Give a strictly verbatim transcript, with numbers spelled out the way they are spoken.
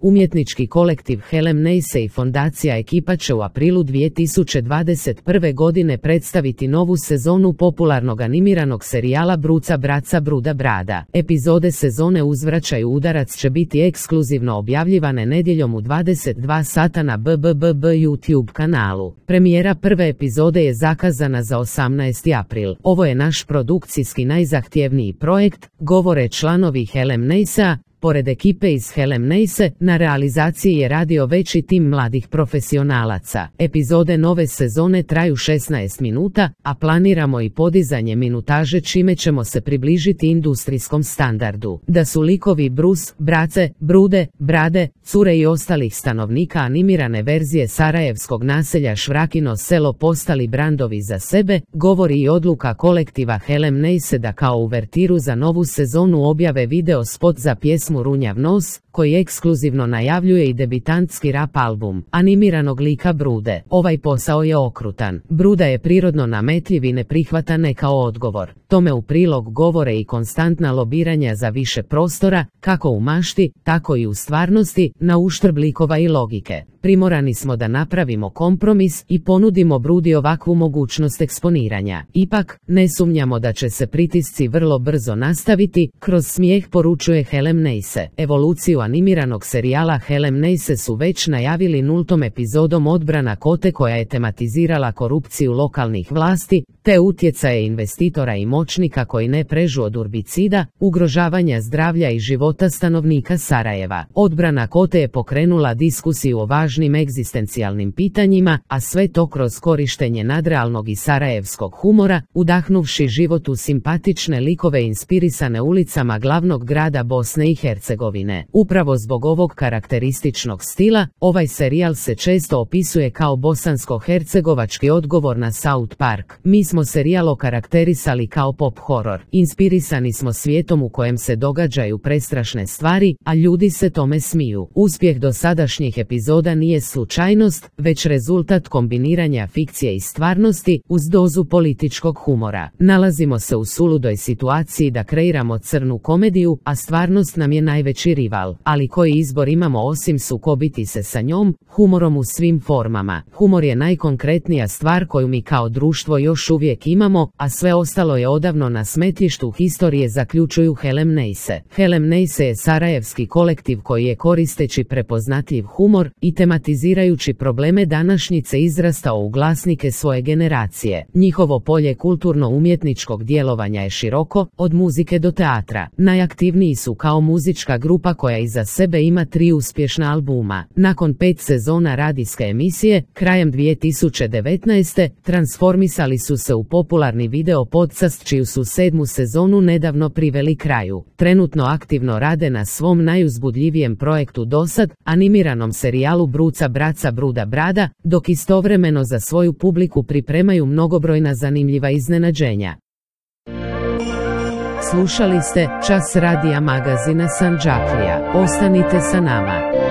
Umjetnički kolektiv Helem Neise i fondacija Ekipa će u aprilu dvije tisuće dvadeset prve. godine predstaviti novu sezonu popularnog animiranog serijala Bruca Braca Bruda Brada. Epizode sezone Uzvraćaju udarac će biti ekskluzivno objavljivane nedjeljom u dvadeset dva sata na B B B B YouTube kanalu. Premijera prve epizode je zakazana za osamnaesti april. Ovo je naš produkcijski najzahtjevniji projekt, govore članovi Helem Neisea. Pored ekipe iz Helem Neise, na realizaciji je radio veći tim mladih profesionalaca. Epizode nove sezone traju šesnaest minuta, a planiramo i podizanje minutaže čime ćemo se približiti industrijskom standardu. Da su likovi Bruce, Brace, Brude, Brade, cure i ostalih stanovnika animirane verzije sarajevskog naselja Švrakino selo postali brandovi za sebe, govori i odluka kolektiva Helem Neise da kao uvertiru za novu sezonu objave video spot za pjesmu Runjav nos, koji ekskluzivno najavljuje i debitantski rap album animiranog lika Brude. Ovaj posao je okrutan. Bruda je prirodno nametljiv i ne prihvata ne kao odgovor. Tome u prilog govore i konstantna lobiranja za više prostora, kako u mašti, tako i u stvarnosti, na uštrb likova i logike. Primorani smo da napravimo kompromis i ponudimo Brudi ovakvu mogućnost eksponiranja. Ipak, ne sumnjamo da će se pritisci vrlo brzo nastaviti, kroz smijeh poručuje Helem Neise. Evoluciju animiranog serijala Helem Neise su već najavili nultom epizodom Odbrana Kote koja je tematizirala korupciju lokalnih vlasti, te utjecaje investitora i moćnika koji ne prežu od urbicida, ugrožavanja zdravlja i života stanovnika Sarajeva. Odbrana Kote je pokrenula diskusiju o važnim egzistencijalnim pitanjima, a sve to kroz korištenje nadrealnog i sarajevskog humora, udahnuvši život u simpatične likove inspirisane ulicama glavnog grada Bosne i Hercegovine. Upravo zbog ovog karakterističnog stila, ovaj serijal se često opisuje kao bosansko-hercegovački odgovor na South Park. Mi smo serijal okarakterisali kao pop horor. Inspirisani smo svijetom u kojem se događaju prestrašne stvari, a ljudi se tome smiju. Uspjeh dosadašnjih epizoda nije slučajnost, već rezultat kombiniranja fikcije i stvarnosti uz dozu političkog humora. Nalazimo se u suludoj situaciji da kreiramo crnu komediju, a stvarnost nam je najveći rival. Ali koji izbor imamo osim sukobiti se sa njom, humorom u svim formama. Humor je najkonkretnija stvar koju mi kao društvo još uvijek imamo, a sve ostalo je odavno na smetlištu historije, zaključuju Helem Neise. Helem Neise je sarajevski kolektiv koji je koristeći prepoznatljiv humor i tematizirajući probleme današnjice izrastao u glasnike svoje generacije. Njihovo polje kulturno-umjetničkog djelovanja je široko, od muzike do teatra. Najaktivniji su kao muzička grupa koja iza sebe ima tri uspješna albuma. Nakon pet sezona radijske emisije, krajem dvije tisuće devetnaeste. transformisali su se u popularni video podcast čiju su sedmu sezonu nedavno priveli kraju. Trenutno aktivno rade na svom najuzbudljivijem projektu dosad, animiranom serijalu Bruca Braca Bruda Brada, dok istovremeno za svoju publiku pripremaju mnogobrojna zanimljiva iznenađenja. Slušali ste Čas radija magazina Sandžaklija. Ostanite sa nama.